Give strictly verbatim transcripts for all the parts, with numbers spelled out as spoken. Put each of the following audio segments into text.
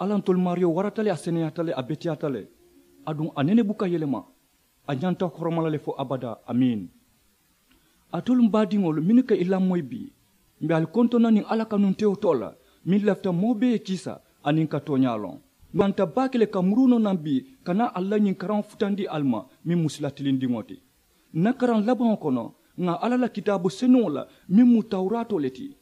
Alla ntolu maariyo warata le, a seneyaata le, a beteyaata le, aduŋ a nene buka yelema. A ñanta horoma la le fo abadaa. Amiin. Alitolu m baadiŋolu mennu ka i lamoyi bii, m̀ be ali kontoŋ na niŋ alla kanunteyoo too la, meŋ lafita moo bee ye kiisa aniŋ ka tooñaa loŋ. M̀ banta baake le ka muruu noo naŋ bii ka naa ali la ñiŋ karaŋo futandi ali ma, meŋ mu sila tilindiŋo ti. Ǹ na karaŋ labaŋo kono, ŋà alla la kitaabu senuŋo la meŋ mu tawuraatoo le ti,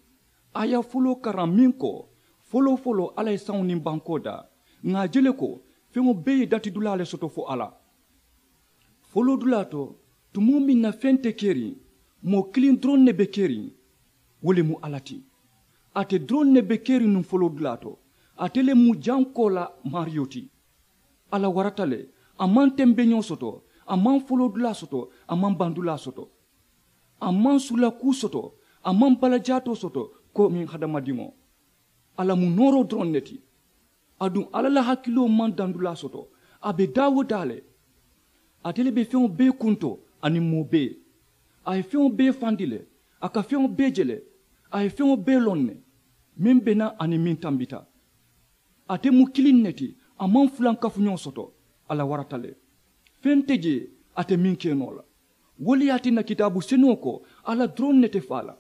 a ye a foloo karaŋ meŋ ko, foloo foloo alla ye saŋo niŋ bankoo daa. Ŋà a je le ko, feŋo bee ye datidulaa le soto fo alla. Foloodulaa to, tumoo meŋ na feŋ te keriŋ, moo kiliŋ doroŋ ne be keriŋ. Wo le mu alla ti. Ate doroŋ ne be keriŋ nuŋ foloodulaa to. Ate le mu jankoo la maariyo ti. Alla warata le. A maŋ tembeñoo soto, a maŋ foloodulaa soto, a maŋ bandulaa soto. A maŋ sula kuu soto, a maŋ balajaatoo soto, komiŋ hadamadiŋo. Alla mu nooroo doroŋ ne ti. Aduŋ alla la hakiloo maŋ dandulaa soto. A be daa wo daa le. Ate le be feŋo bee kunto aniŋ moo bee. A ye feŋo bee fandi le. A ka feŋo bee je le. A ye feŋo bee loŋ ne, meŋ be naa aniŋ meŋ tambita. Ate mu kiliŋ ne ti. A maŋ fulankafuñoo soto. Alla warata le. Feŋ te jee ate meŋ ke noo la. Wo le ye a tinna kitaabu senuŋo ko, alla doroŋ ne te faa la.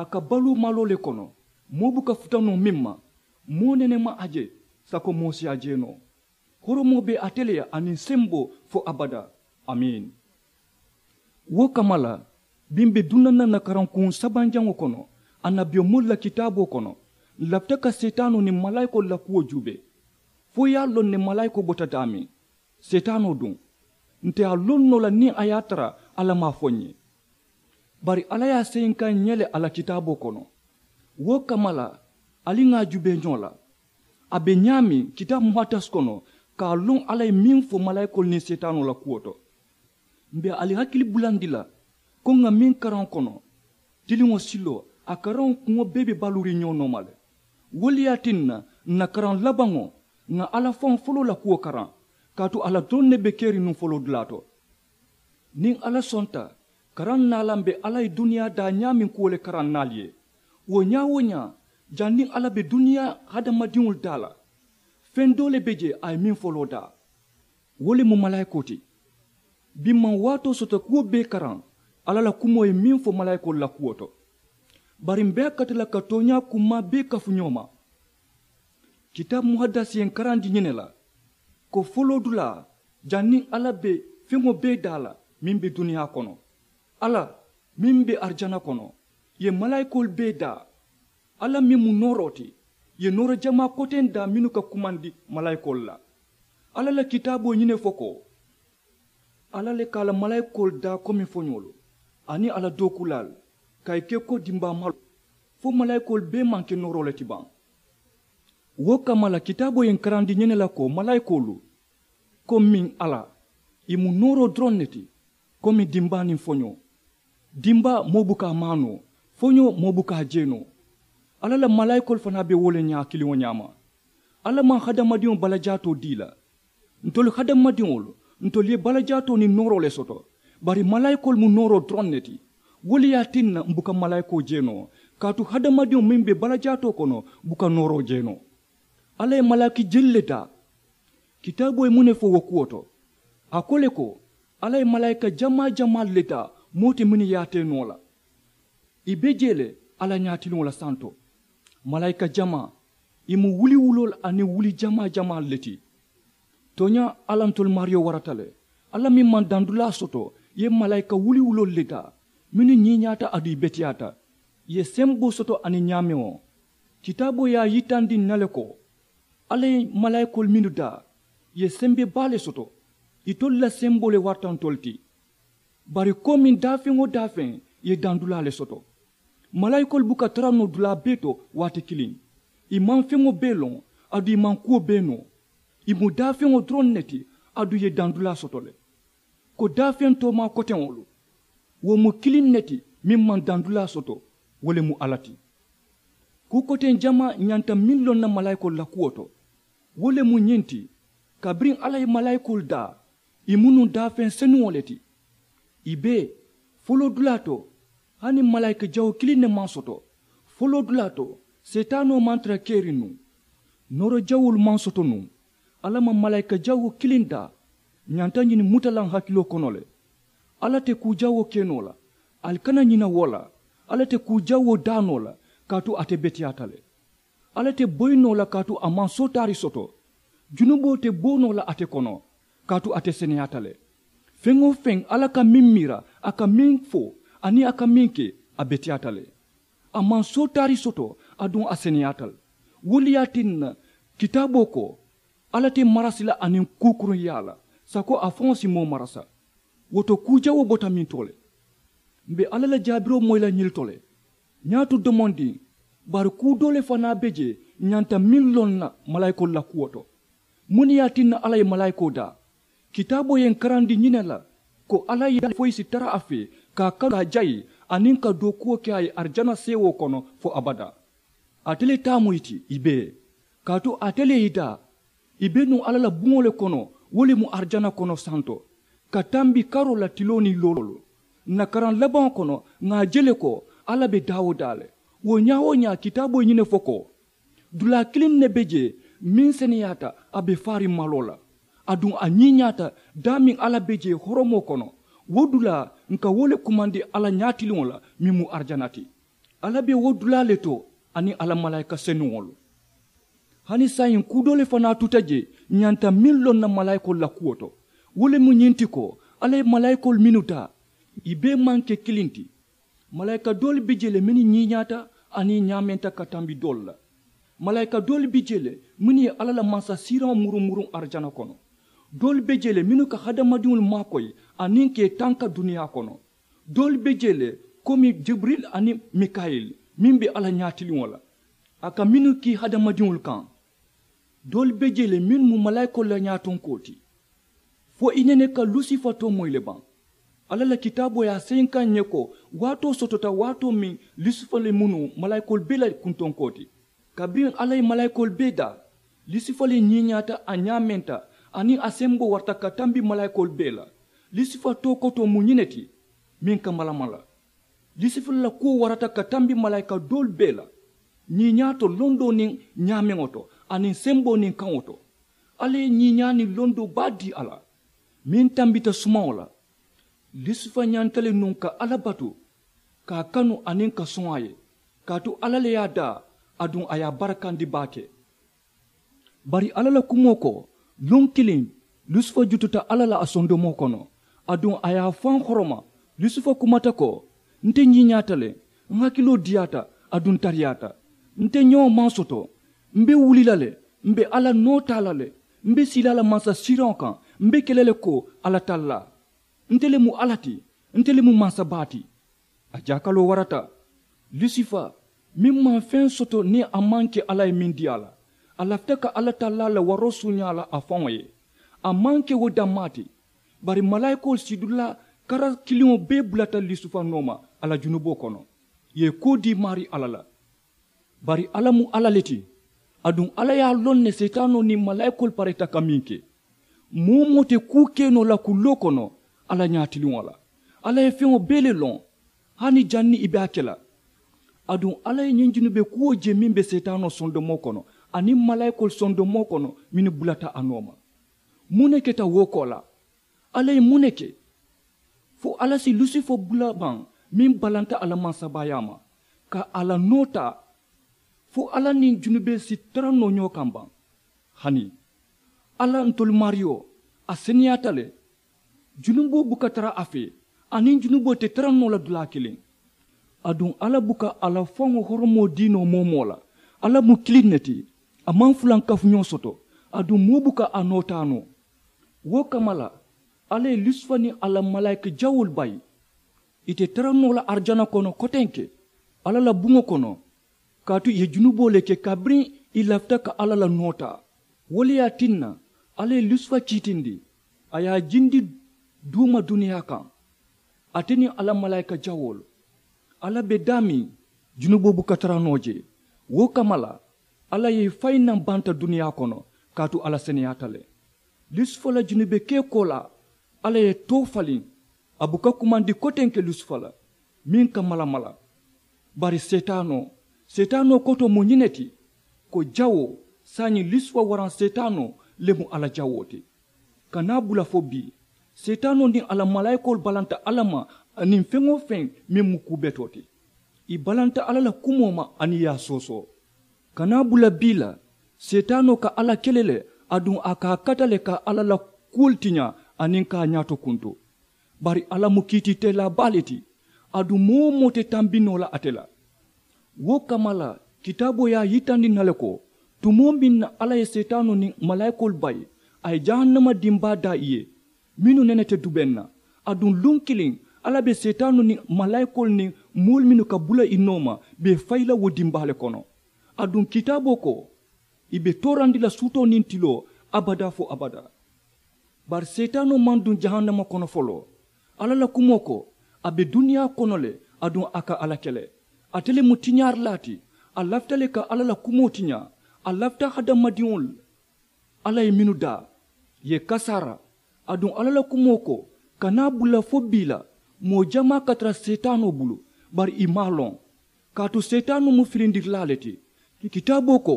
A ka baluu maloo le kono. Moo buka futa noo meŋ ma, moo nene maŋ a je sako moo si a je noo. Horomoo be ate le ye aniŋ semboo fo abadaa. Amiin. Wo kamma la, biŋ be duŋ na ǹ na karankuŋ sabanjaŋo kono, annabiyomoolu la kitaaboo kono. Ǹ lafita ka seetaanoo niŋ malaayikoolu la kuwo juubee, fo ì ye a loŋ ne malaayikoo bota daameŋ. Seetaanoo duŋ, ǹ te a loŋ noo la niŋ a ye a tara alla maŋ a fo ǹ ye. Bari alla ye a seyinkaa ǹ ye le a la kitaaboo kono. Wo kamma la, ali ŋà a juubee ñoo la. A be ñaameŋ kitaabu muhaddas kono, ka a loŋ alla ye meŋ fo malaayikoolu niŋ seetaanoo la kuwo to. M̀ be ali hakili bulandi la, ko ŋà meŋ karaŋo kono, tiliŋo siloo, a karaŋo kuŋo bee be baluuriŋ ñoo nooma le. Wo le ye a tinna, ǹ na karaŋ labaŋo, ŋà alla faŋo foloo la kuwo karaŋ, kaatu alla doroŋ ne be keriŋ nuŋ foloodulaa to. Niŋ alla sonta, karaŋ naa la m̀ be alla ye duniyaa daa ñaameŋ kuwo le karaŋ naali ye. Wo ñaa-wo-ñaa, janniŋ alla be duniyaa hadamadiŋolu daa la, feŋ doo le be jee a ye meŋ foloo daa. Wo le mu malaayikoo ti. Biŋ maŋ waatoo soto kuwo bee karaŋ, alla la kumoo ye meŋ fo malaayikoolu la kuwo to. Bari m̀ be a kata la ka tooñaa kummaa bee kafu ñoo ma. Kitaabu muhadasi ye ǹ karandi ñiŋ ne la, ko foloodulaa, janniŋ alla be feŋo bee daa la meŋ be duniyaa kono, alla meŋ be arijana kono, ì ye malaayikoolu bee daa. Alla meŋ mu nooroo ti, ì ye nooro jamaa koteŋ daa mennu ka kumandi malaayikoolu la. Alla la kitaaboo ye ñiŋ ne fo ko, alla le ka a la malaayikoolu daa komi foñoolu, aniŋ a la dookuulaalu, ka ì ke ko dimbaa maloo, fo malaayikoolu bee maŋ ke nooroo le ti baŋ. Wo kamma la kitaaboo ye ǹ karandi ñiŋ ne la ko malaayikoolu, komiŋ alla, ì mu nooroo doroŋ ne ti, komi dimbaa niŋ foñoo. Dimbaa moo buka a maanoo, foñoo moo buka a jeenoo. Alla la malaayikoolu fanaa be wo le ñaa kiliŋo ñaama. Alla maŋ hadamadiŋo balajaatoo dii la. Ntolu hadamadiŋolu, ntolu ye balajaatoo niŋ nooroo le soto, bari malaayikoolu mu nooroo doroŋ ne ti. Wo le ye a tinna m̀ buka malaayikoo jeenoo, kaatu hadamadiŋo meŋ be balajaatoo kono buka nooroo jeenoo. Alla ye malaaki jelu le daa. Kitaaboo ye muŋ ne fo wo kuwo to? A ko le ko, alla ye malaayika jamaa jamaalu le daa, moo te mennu ye a tee noo la. Ì be jee le alla ñaatiliŋo la santo. Malaayika jamaa, ì mu wuliwuloolu aniŋ wuli jamaa jamaalu le ti. Tooñaa, alla ntolu maariyo warata le. Alla meŋ maŋ dandulaa soto, ì ye malaayika wuliwuloolu le daa, mennu ñiiñaata aduŋ ì beteyaata, ì ye semboo soto aniŋ ñaamewo. Kitaaboo ye a yitandi ǹ na le ko, alla ye malaayikoolu mennu daa, ì ye sembe baa le soto. Itolu la semboo le warata ntolu ti. Bari komiŋ daafeŋ-wo-daafeŋ ye dandulaa le soto. Malaayikoolu buka tara noo dulaa bee to waati kiliŋ. Ì maŋ feŋo bee loŋ, aduŋ ì maŋ kuwo bee noo. Ì mu daafeŋo doroŋ ne ti, aduŋ ì ye dandulaa soto le. Ko daafeŋ toomaa koteŋolu, wo mu kiliŋ ne ti meŋ maŋ dandulaa soto, wo le mu alla ti. Kuu koteŋ jamaa ñanta meŋ loŋ na malaayikoolu la kuwo to, wo le mu ñiŋ ti, kabiriŋ alla ye malaayikoolu daa, ì mu nuŋ daafeŋ senuŋo le ti. Ì be foloodulaa to, hani malaayika jawoo kiliŋ ne maŋ soto. Foloodulaa to, seetaanoo maŋ tara keriŋ nuŋ. Nooro jawolu maŋ soto nuŋ. Alla maŋ malaayika jawoo kiliŋ daa. Ñanta ñiŋ muta la n hakiloo kono le. Alla te kuu jawoo ke noo la. Ali kana ñina wo la. Alla te kuu jawoo daa noo la. Kaatu ate beteyaata le. Alla te boyi noo la kaatu a maŋ sootaari soto. Junuboo te bo noo la ate kono. Kaatu ate seneyaata le. Feŋ-wo-feŋ alla ka meŋ miira, a ka meŋ fo, aniŋ a ka meŋ ke, a beteyaata le. A maŋ sootaari soto, aduŋ a seneyaata le. Wo le ye a tinna, kitaaboo ko, alla te marasi la aniŋ kuu kuruŋ yaa la, sako a faŋo si moo marasa. Wo to kuu jawoo bota meŋ to le. M̀ be alla la jaabiroo moyi la ñiŋ to le. Ñaato domondiŋ, bari kuu doo le fanaa be jee ñanta meŋ loŋ na malaayikoolu la kuwo to. Muŋ ne ye a tinna alla ye malaayikoo daa? Kitaaboo ye n karandi ñiŋ ne la, ko alla ye a foyi si tara a fee, ka a kanu ka a jayi, aniŋ ka dookuwo ke a ye arijana seewoo kono fo abadaa. Ate le taa mu ì ti ì bee. Kaatu ate le ye ì daa. Ì be nuŋ alla la buŋo le kono, wo le mu arijana kono santo, ka tambi karoo la tiloo niŋ looloo. Ǹ na karaŋ labaŋo kono, ŋà a je le ko, alla be daa-wo-daa le. Wo ñaa-wo-ñaa kitaaboo ye ñiŋ ne fo ko, dulaa kiliŋ ne be jee, meŋ seneyaata a be faariŋ maloo la. Aduŋ a ñiiñaata daameŋ alla be jee horomoo kono. Wo dulaa ǹ ka wo le kumandi alla ñaatiliŋo la, meŋ mu arijana ti. Alla be wo dulaa le to, aniŋ a la malaayika senuŋolu. Hani saayiŋ kuu doo le fanaa tuta jee, ñanta meŋ loŋ na malaayikoolu la kuwo to. Wo le mu ñiŋ ti ko, alla ye malaayikoolu mennu taa, ì bee maŋ ke kiliŋ ti. Malaayika doolu be jee le mennu ñiiñaata, aniŋ ñaamenta ka tambi doolu la. Malaayika doolu be jee le mennu ye alla la mansasiiraŋo muruŋ muruŋ arijana kono. Doolu be jee le mennu ka hadamadiŋolu maakoyi, aniŋ ka ì tanka duniyaa kono. Doolu be jee le, komi jibiril aniŋ mikayil, meŋ be alla ñaatiliŋo la, a ka mennu kii hadamadiŋolu kaŋ. Doolu be jee le mennu mu malaayikoolu la ñaatonkoo ti. Fo i nene ka lusifa too moyi le baŋ. Alla la kitaaboo ye a seyinkaŋ ǹ ye ko, waatoo sotota waatoo meŋ, lusifa le mu nuŋ malaayikoolu bee la kuntonkoo ti. Kabiriŋ alla ye malaayikoolu bee daa, lusifa le ñiiñaata, a ñaamenta, aniŋ a semboo warata ka tambi malaayikoolu bee la. Lusifa too kotoo mu ñiŋ ne ti, meŋ ka malamala. Lusifa la kuwo warata ka tambi malaayika doolu bee la, ñiiñaa to londoo niŋ ñaameŋo to, aniŋ semboo niŋ kaŋo to. Alla ye ñiiñaa niŋ londoo baa dii a la, meŋ tambita sumaŋo la. Lusifa ñanta le nuŋ ka alla batu, ka a kanu aniŋ ka soŋ a ye, kaatu alla le ye a daa, aduŋ a ye a barakandi baake. Bari alla la kumoo ko, luŋ kiliŋ, lusifa jututa alla la a sondomoo kono, aduŋ a ye a faŋ horoma. Lusifa kumata ko, nte ñiiñaata le, ǹ hakiloo diyaata, aduŋ ǹ tariyaata. Nte ñoo maŋ soto. M̀ be wuli la le, m̀ be alla noo taa la le. M̀ be sii la a la mansasiiraŋo kaŋ, m̀ be ke la le ko alla tallaa. Nte le mu alla ti, nte le mu mansa baa ti. A jaakaloo warata. Lusifa, meŋ maŋ feŋ soto niŋ a maŋ ke alla ye meŋ dii a la, a lafita ka alla tallaa la waroo suuñaa la a faŋo ye. A maŋ ke wo dammaa ti. Bari malaayikoolu sidulaa kara kiliŋo bee bulata lusifa nooma, a la junuboo kono, ì ye kuu dii maarii alla la. Bari alla mu alla le ti. Aduŋ alla ye a loŋ ne seetaanoo niŋ malaayikoolu pareeta ka meŋ ke. Moo-wo-moo te kuu ke noo la kulloo kono alla ñaatiliŋo la. Alla ye feŋo bee le loŋ, hani janniŋ ì be a ke la. Aduŋ alla ye ñiŋ junube kuwo je meŋ be seetaanoo sondomoo kono, aniŋ malaayikoolu sondomoo kono mennu bulata a nooma. Muŋ ne keta wo koolaa? Alla ye muŋ ne ke? Fo alla si lusifa bula baŋ, meŋ balanta a la mansabaayaa ma, ka a la noo taa? Fo alla niŋ junubee si tara noo ñoo kaŋ baŋ? Hani alla, ntolu maariyo, a seneyaata le. Junuboo buka tara a fee, aniŋ junuboo te tara noo la dulaa kiliŋ. Aduŋ alla buka a la faŋo horomoo dii noo moo-wo-moo la. Alla mu kiliŋ ne ti. A maŋ fulankafuñoo soto. Aduŋ moo buka a noo taa noo. Wo kamma la, alla ye lusifa niŋ a la malaayika jawoolu bayi. Ì te tara noo la arijana kono kotenke, alla la buŋo kono, kaatu ì ye junuboo le ke kabiriŋ ì lafita ka alla la noo taa. Wo le ye a tinna, alla ye lusifa kiitindi, a ye a jindi duuma duniyaa kaŋ, ate niŋ a la malaayika jawoolu. Alla be daameŋ, junuboo buka tara noo jee. Wo kamma la, alla ye ì fayi naŋ banta duniyaa kono, kaatu alla seneyaata le. Lusifa la junube kee koolaa, alla ye too faliŋ. A buka kumandi kotenke lusifa la, meŋ ka malamala. Bari seetaanoo, seetaanoo kotoo mu ñiŋ ne ti, ko jawoo, Saayiŋ lisuwa waraŋ seetaanoo le mu alla jawoo ti. Ka naa bula fo bii, seetaanoo niŋ a la malaayikoolu balanta alla ma aniŋ feŋ-wo-feŋ meŋ mu kuu betoo ti. Ì balanta alla la kumoo ma aniŋ ì ye a soosoo. Ka naa bula bii la, seetaanoo ka alla kele le, aduŋ a ka a kata le ka alla la kuwolu tiñaa aniŋ ka a ñaato kuntu. Bari alla mu kiitiitelaa baa le ti, aduŋ moo-wo-moo te tambi noo la ate la. Wo kamma la, kitaaboo ye a yitandi ǹ na le ko, tumoo meŋ na alla ye seetaanoo niŋ malaayikoolu bayi, a ye jahannama dimbaa daa ì ye, mennu nene te dubeŋ na. Aduŋ luŋ kiliŋ, alla be seetaanoo niŋ malaayikoolu niŋ moolu mennu ka bula ì nooma be fayi la wo dimbaa le kono. Aduŋ kitaaboo ko, ì be toorandi la suutoo niŋ tiloo abadaa fo abadaa. Bari seetaanoo maŋ duŋ jahannama kono foloo. Alla la kumoo ko, a be duniyaa kono le, aduŋ a ka alla kele. Ate le mu tiñaarilaa ti. A lafita le ka alla la kumoo tiñaa. A lafita hadamadiŋolu alla ye mennu daa, ì ye kasaara. Aduŋ alla la kumoo ko, ka naa bula fo bii la, moo jamaa ka tara seetaanoo bulu, bari ì maŋ a loŋ. Kaatu seetaanoo mu filindirilaa le ti. Kitaaboo ko,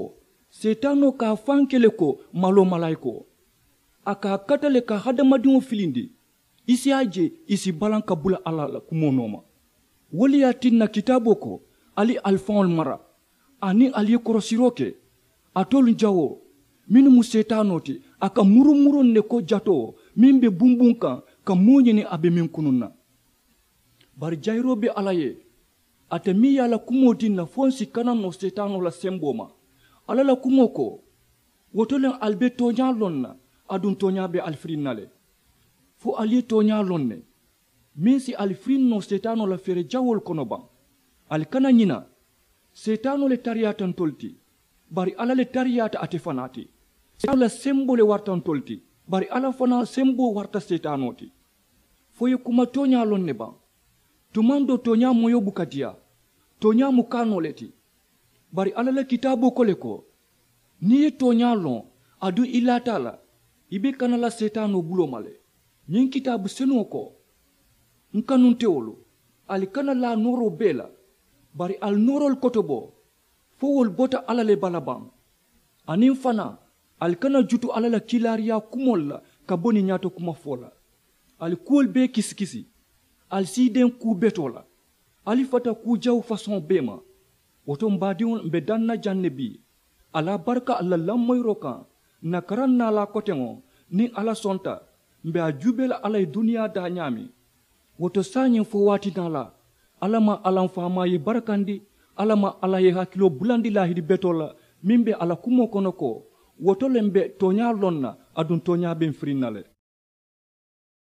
seetaanoo ka a faŋ ke le ko maloo malaayikoo. A ka a kata le ka hadamadiŋo filindi. I si a je, i si balaŋ ka bula alla la kumoo nooma. Wo le ye a tinna kitaaboo ko, ali ali faŋolu mara, aniŋ ali ye korosiroo ke. Alitolu jawoo, mennu mu seetaanoo ti, a ka murumuruŋ ne ko jatoo meŋ be bunbuŋ kaŋ, ka moo ñini a be meŋ kunuŋ na. Bari jayiroo be alla ye, ate meŋ ye a la kumoo dii ǹ na fo ǹ si kana noo seetaanoo la semboo ma. Alla la kumoo ko, wo to le ali be tooñaa loŋ na, aduŋ tooñaa be ali firiŋ na le. Fo ali ye tooñaa loŋ ne, meŋ si ali firiŋ noo seetaanoo la feere jawoolu kono baŋ. Ali kana ñina, seetaanoo le tariyaata ntolu ti, bari alla le tariyaata ate fanaa ti. Seetaanoo la semboo le warata ntolu ti, bari alla fanaa semboo warata seetaanoo ti. Fo i ye kuma tooñaa loŋ ne baŋ? Tumaŋ doo tooñaa moyoo buka diyaa. Tooñaa mu kaanoo le ti. Bari alla la kitaaboo ko le ko, niŋ i ye tooñaa loŋ, aduŋ i laata a la, i be kana la seetaanoo buloo ma le. Ñiŋ kitaabu senuŋo ko, n kanuntewolu, ali kana laa nooroo bee la, bari ali nooroolu kotobo, fo wolu bota alla le bala baŋ. Aniŋ fanaa, ali kana jutu alla la kiilaariyaa kumoolu la ka bo niŋ ñaato kuma fo la. Ali kuwolu bee kisikisi. Ali siideŋ kuu betoo la. Ali fata kuu jawu fasoŋo bee ma. Wo to m baadiŋolu, m be daŋ na jaŋ ne bii. Ali a baraka ali la lamoyiroo kaŋ. N na karaŋ naalaa koteŋo, niŋ alla sonta, m be a juubee la alla ye duniyaa daa ñaameŋ. Wo to saayiŋ fo waati naalaa, alla maŋ alla m faamaa ye i barakandi. Alla maŋ alla ye i hakiloo bulandi laahidi betoo la, meŋ be a la kumoo kono ko, wo to le m be tooñaa loŋ na, aduŋ tooñaa be m firiŋ na le.